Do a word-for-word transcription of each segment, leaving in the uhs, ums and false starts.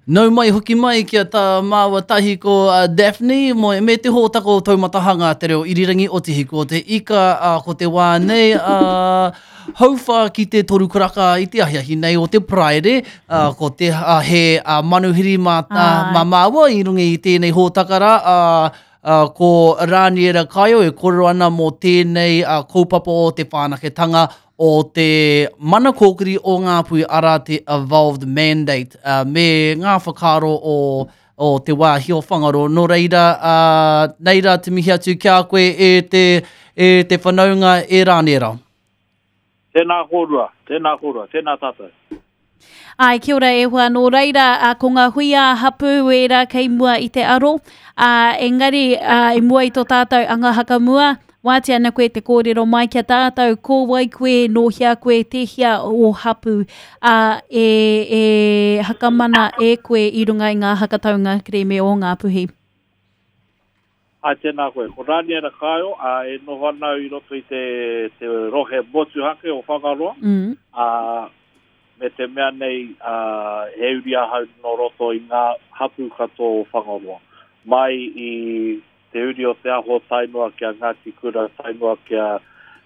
Nau mai hoki mai kia tā māua tahi ko uh, Daphne mo, me te hōtaka o Taumatahanga te reo irirangi o Te Hiku o te Ika uh, ko te wā nei uh, hauwha ki te toru karaka i te ahiahi nei o te Paraire uh, ko te uh, he uh, manuhiri mā, uh, mā māua i runga i tēnei hōtaka rā uh, Uh, ko Raniera Kaio e kōrero ana mō tēnei uh, kaupapa o te whanaketanga o te mana kōkiri o Ngāpuhi arā te Evolved Mandate uh, me ngā whakaaro o, o te wāhi o Whangaroa. Nō reira, uh, nei rā te mihi atu ki a koe e te, e te whanaunga e Raniera. Tēnā kōrua, tēnā kōrua, tēnā tātou. Ai, kia ora e hoa, nō reira, a, ko ngā hui ā hapū ērā kei mua i te aro, a, engari a, i mua i tō tātou anga hakamua, wātea ana koe te kōrero mai kia tātou, ko wai koe, nō hea koe, tēhea o hapū, a, e, e hakamana e koe i runga i ngā hakataunga kerēme o Ngāpuhi. Ai, tēnā koe. Ko Raniera Kaio, a, e noho ana au i roto i te, te rohe motuhake o Whangaroa. Mm. A, me te mea nei, uh, he uri ahau nō roto i ngā hapū katoa o Whangaroa. Mai i te uri o Te Aho tae noa kia Ngāti Kura, tae noa kia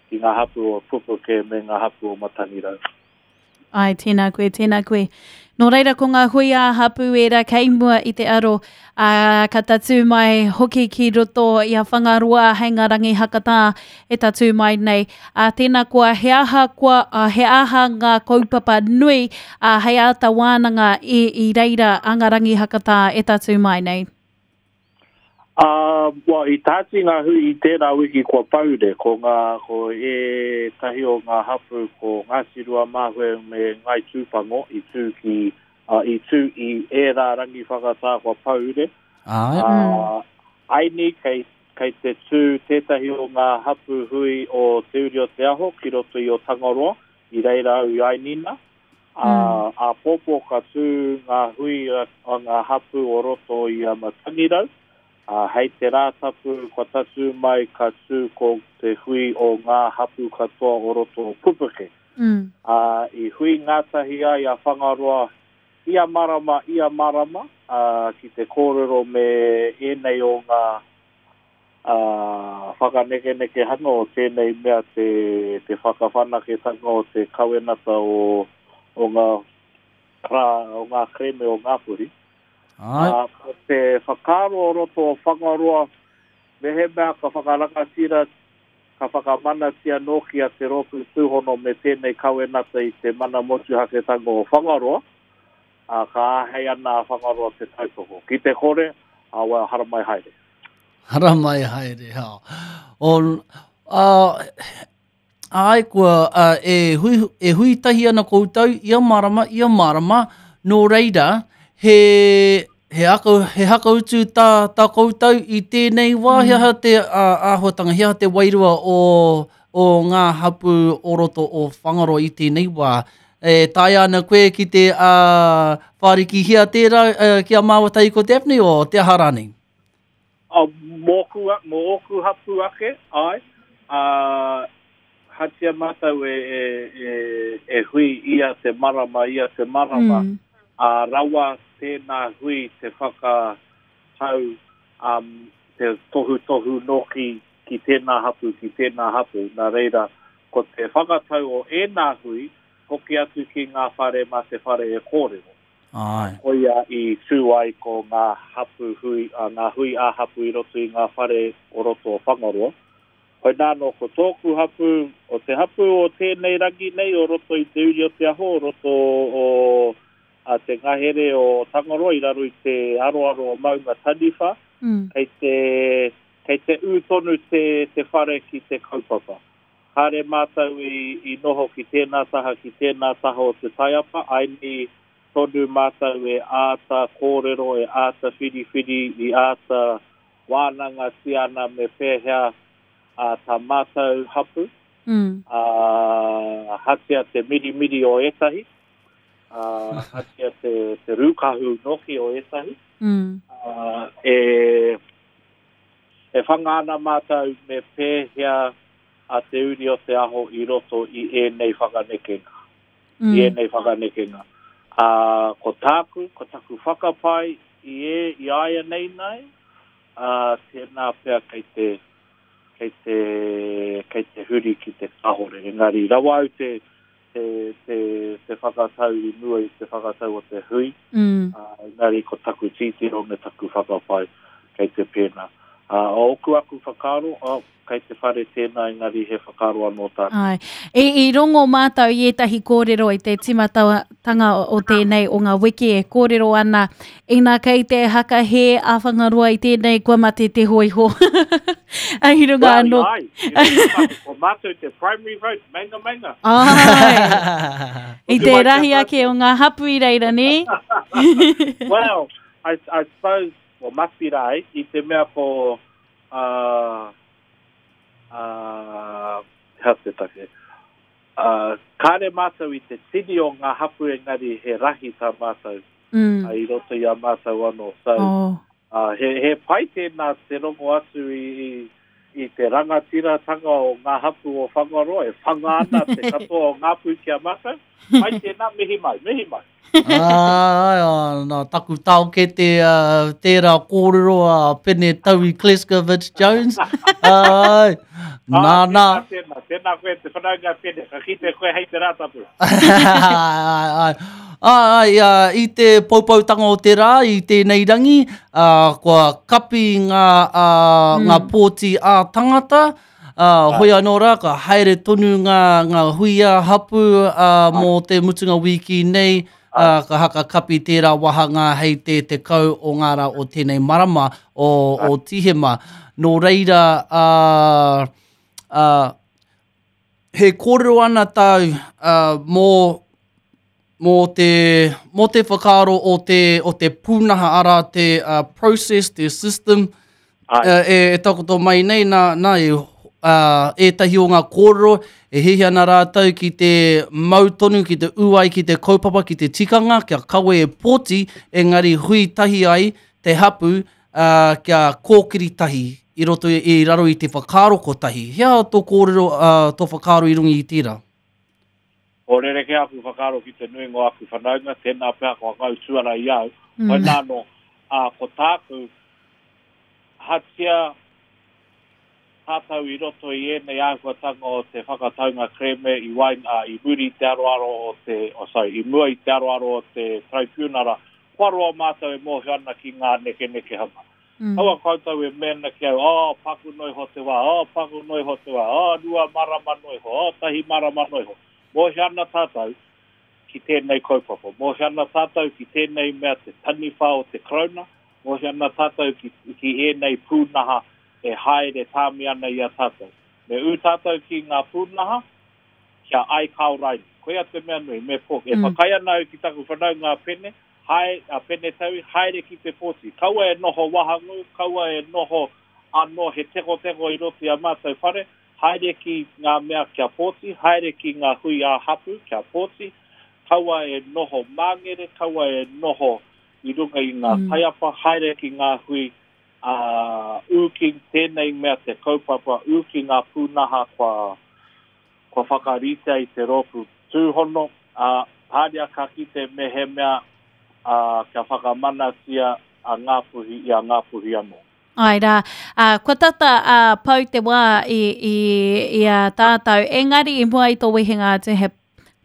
ki ngā hapū o Pupuke me ngā hapū o Matangirau. Ai, tēnā koe, tēnā koe. Nō reira ko ngā hui ā hapū ērā kei mua i te aro, ā, ka tatū mai hoki ki roto i a Whangaroa hei ngā rangi hakatā e tatū mai nei. Ā, tēnā koa, he aha koa, ā, he aha ngā kaupapa nui, ā, hei āta wānanga i, i reira a ngā rangi hakatā e tatū mai nei? Uh, well, i tāti ngā hui i tērā wiki kua paure, ko ngā, ko ētahi o ngā hapū, ko Ngāti Ruamāhue me Ngai Tūpango i tū ki, uh, i tū i ērā rangi whakatā kua paure. Ai. Uh, aini kei, kei te tū tētahi o ngā hapū hui o Te Uri o Te Aho ki roto i o Tangaroa, i reira au i Ainina. Uh, āpōpō ka tū ngā hui a, a ngā hapū o roto i a Matangirau. Uh, hei te rātapu kua tatū mai ka tū ko te hui o ngā hapū katoa o roto o Pupuke. Mm. Uh, i hui ngātahi ai a Whangaroa ia marama, ia marama, uh, ki te kōrero me ēnei o ngā uh, whakanekenekehanga o tēnei mea te, te whakawhanaketanga o te kawenata o, o ngā, rā, o ngā kerēme o Ngāpuhi. Ai. Uh, ko te whakaaro o roto o Whangaroa, mehemea ka whakarangatira, ka whakamanatia nōki a te rōpū tūhono me tēnei kawenata i te mana motuhaketanga o Whangaroa, uh, ka āhei ana a Whangaroa te tautoko. Ki te kore, uh, well, haramai haere. Haramai haere, ha. O, uh, ai, kua, uh, e, hui, e hui tahi ana koutou ia marama, ia marama, nō reira, he, he, aka, he hakautu tā, tā koutou i tēnei wā, he aha te uh, āhuatanga, he aha te wairua o, o ngā hapū o roto o Whangaroa i tēnei wā. E taea ana koe ki te uh, whārikihia tērā uh, ki a māua tahi ko Daphne o te aha rānei? Uh, mōku, mō ōku hapū ake, ai, uh, hatia mātou e, e, e, e hui ia te marama, ia te marama, Mm. a rawa tēnā hui te whakatau, um, te tohutohu nōki ki tēnā hapū, ki tēnā hapū. Nā reira, ko te whakatau o ēnā hui, hoki atu ki ngā whare mā te whare e kōrero. Ai. Koia i tū ai ko ngā hapū hui, uh, ngā hui ā hapū i roto i ngā whare o roto o Whangaroa. Hoi nāno ko tōku hapū, o te hapū o tēnei rangi nei o roto i te Uri o Te Aho, o roto o a te ngahere o Tangaroa i raro i te aroaro o Maunga Taniwha, Mm. kei te, kei te ū tonu te, te whare ki te kaupapa. Kāre mātou i, i noho ki tēnā taha, ki tēnā taha o te taiapa, aini tonu mātou e āta kōrero, e āta whiriwhiri, i āta wānanga tiana me pēhea a tā mātou hapū, Mm. a hatia te mirimiri o ētahi, a hatia te, te rūkahu noki o ētahi, Mm. uh, e, e whanga ana mātou me pēhea a Te Uri o Te Aho i roto i ēnei whakanekenga. Mm. I ēnei whakanekenga. Ā, ko tāku, ko taku whakapae i e, i aia nei nei, ā, tēnā pea kei te, kei te, kei te huri ki te kahore. Engari, rawa au te, te, te, te whakatau i mua i te whakatau o te hui, mm. ā, engari ko taku titiro me taku whakapae kei te pēnā. Ā, ōku aku whakaaro, oh, kei te whare tēnā, engari he whakaaro anō tāku. Ai. I, i rongo mātou i ētahi kōrero i te timatanga o tēnei o ngā wiki e kōrero ana, ina kei te haka he a Whangaroa i tēnei kua mate te hoiho. Ai runga Well, anō. ai, i runga anō, ko mātou te primary vote, mainga mainga. Ai. I te rahi ake o ngā hapu i reira, ne? Well, I, I suppose, well, must be rā, i te mea ko, uh, uh, hea te take, uh, kāre mātou i te tini o ngā hapu engari he rahi tā mātou Mm. uh, i roto i a mātou anō. So, Oh. uh, he, he pai tēnā te rongo atu i, i, i te rangatiratanga o ngā hapu o Whangaroa, e whanga ana te katoa o ngā pū ki a mātou. Pai tēnā, mihi mai, mihi mai. Ai, ai, nā, taku taokete uh, tērā kōrero a Pene Taui Kleskovic Jones. Ai, nā, Ah, nā. Tēnā, tēnā, tēnā koe te whanaunga Pene, ka kite koe hei te rātapu. Ai, ai, ai, ai, i te poupoutanga o te rā, i tēnei rangi, uh, kua kapi ngā, uh, mm. ngā pōti ā tangata, uh, hoi anō rā, ka haere tonu ngā, ngā hui ā hapu uh, mō te mutunga wiki nei, uh, ka haka kapi tērā wahanga hei te tekau o ngā rā o tēnei marama o, o Tihema. Nō reira, uh, uh, he kōrero ana tāu uh, mō mō te, mō te whakaaro o te, o te pūnaha ara, te uh, process, te system, Ai. uh, e, e takoto mai nei nā, nā e, uh, ētahi o ngā kōrero e hihi ana rātou ki te mau tonu, ki te uai, ki te kaupapa, ki te tikanga, kia kawe e pōti, engari hui tahi ai te hapu uh, kia kōkiri tahi i roto i, i raro i te whakaaro kotahi. Hea tō kōrero, uh, tō whakaaro i runga i tērā? O rereke aku whakaaro ki te nuinga o aku whanaunga, tēnā pea kua ngau tuara i au. Mm. Hoi nāno, ā, ko tāku, hatia tātou i roto i ēnei āhuatanga o te whakataunga kereme i wain, ā, i muri i te aroaro o te, oh, sorry, i mua i te aroaro o te tribunara, kua roa mātou e mōhio ana ki ngā nekenekehanga. Mm. Kaua koutou e mena ki au, oh, paku noi ho te wā, oh, paku noi ho te wā, oh, rua marama noi ho, oh, tahi marama noi ho. Mōhio ana tātou ki tēnei kaupapa. Mōhio ana tātou ki tēnei mea te taniwha o te Karauna. Mōhio ana tātou ki, ki ēnei pūnaha e haere tāmi ana i a tātou. Me ū tātou ki ngā pūnaha, kia ai kao raini. Koia te mea nui, me pō. E Mm. whakai ana au ki taku whanaunga a Pene, hae, a Pene Taui, haere ki te pōti. Kaua e noho wahangu, kaua e noho anō he tekoteko i roto i a mātou whare, haere ki ngā mea kia pōti, haere ki ngā hui ā hapu kia pōti, kaua e noho māngere, kaua e noho i runga i ngā Mm. taiapa, haere ki ngā hui ā, ū ki tēnei mea te kaupapa, ū ki ngā pūnaha kua, kua whakaritea i te rōpū tūhono, ā, haere ka kite me he mea ā, kia whakamanatia a Ngāpuhi i a Ngāpuhi anō. Ai rā, uh, kua tata uh, pau te wā i, i, i a tātou, engari i mua i tō wehenga atu he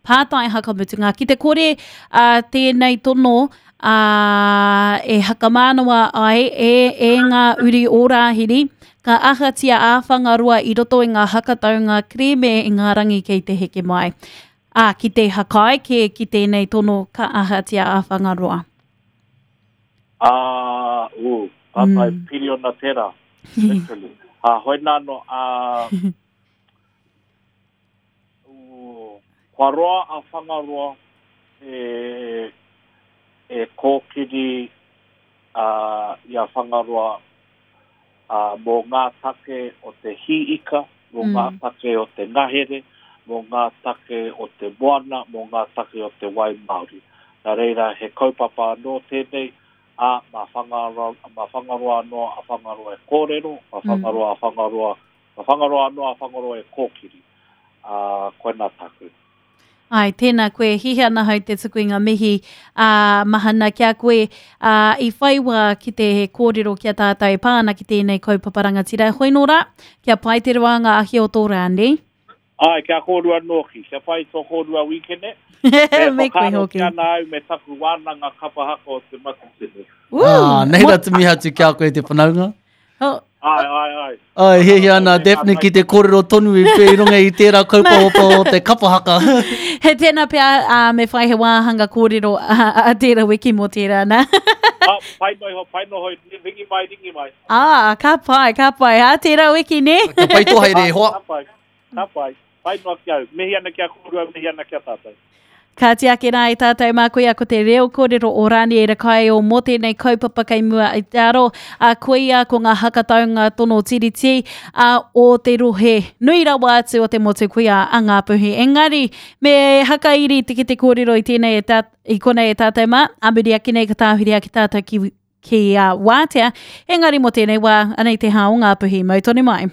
pātai hakamutunga. Ki te kore uh, tēnei tono uh, e hakamānawa ai e, e ngā uri o Rāhiri, ka ahatia a Whangaroa i roto i ngā hakataunga kereme i ngā rangi kei te heke mai. Ā, ki te hakai ke ki tēnei tono ka ahatia a Whangaroa. Ā, ū, pātai Mm. piriona tērā, literally. Ā, hoi nāno, ā, ū, kua roa a Whangaroa e, e kōkiri ā, i a Whangaroa ā, mō ngā take o te hīika, mō Mm. ngā take o te ngahere, mō ngā take o te moana, mō ngā take o te wai Māori. Nā reira, he kaupapa anō tēnei, a mā Whangaroa, mā Whangaroa anō a Whangaroa e kōrero, mā Mm. Whangaroa a Whangaroa, mā Whangaroa anō a Whangaroa e kōkiri. Ā, koina tāku. Ai, tēnā koe, hihi ana hau te tuku i ngā mihi a mahana kia koe a, i whai wā ki te kōrero ki a tātou e pā ana ki tēnei kaupapa rangatira. Hoi nō rā, kia pai te roa ngā ahi o tō rāne. Ai, kia kōrua nōki, kia pai tō kōrua wīkene. Me Me koe whakaaro hoki. ki ana au me taku wānanga kapa haka o te Matatini. Woo! Ah, nei rā te mihi atu ki a koe te whanaunga. Oh, Ai, ai, ai. Ai, hiahia ana Daphne ki te kōrero tonu i pē i runga i tērā kaupapa o te kapa haka. He tēnā pea uh, me whai he wāhanga kōrero a, a tērā wiki mō tērā nā. Ah, pai noa iho, pai noa hoi, ringi mai, ringi mai. ah, ka pai, ka pai. Ha, tērā wiki, ne? Ka pai tō haere e hoa. Ka pai, ka pai. Pai noa ki au. Mihi ana kia kōrua, mihi ana kia tātou. Ka tiake rā i tātou mā koia ko te reo kōrero o Raniera Kaeo mō tēnei kaupapa kei mua i te aro. A koia ko ngā hakataunga tono tiriti a o te rohe. Nui rawa atu o te motu koia a Ngāpuhi. Engari, me hakairi te ki te kōrero i tēnei e tā, i konei e tātou mā, a muri ake nei ka tāhuri ake tātou ki, ki uh, wātea. Engari mō tēnei wā, anei te hā o Ngāpuhi. Mau tonu mai.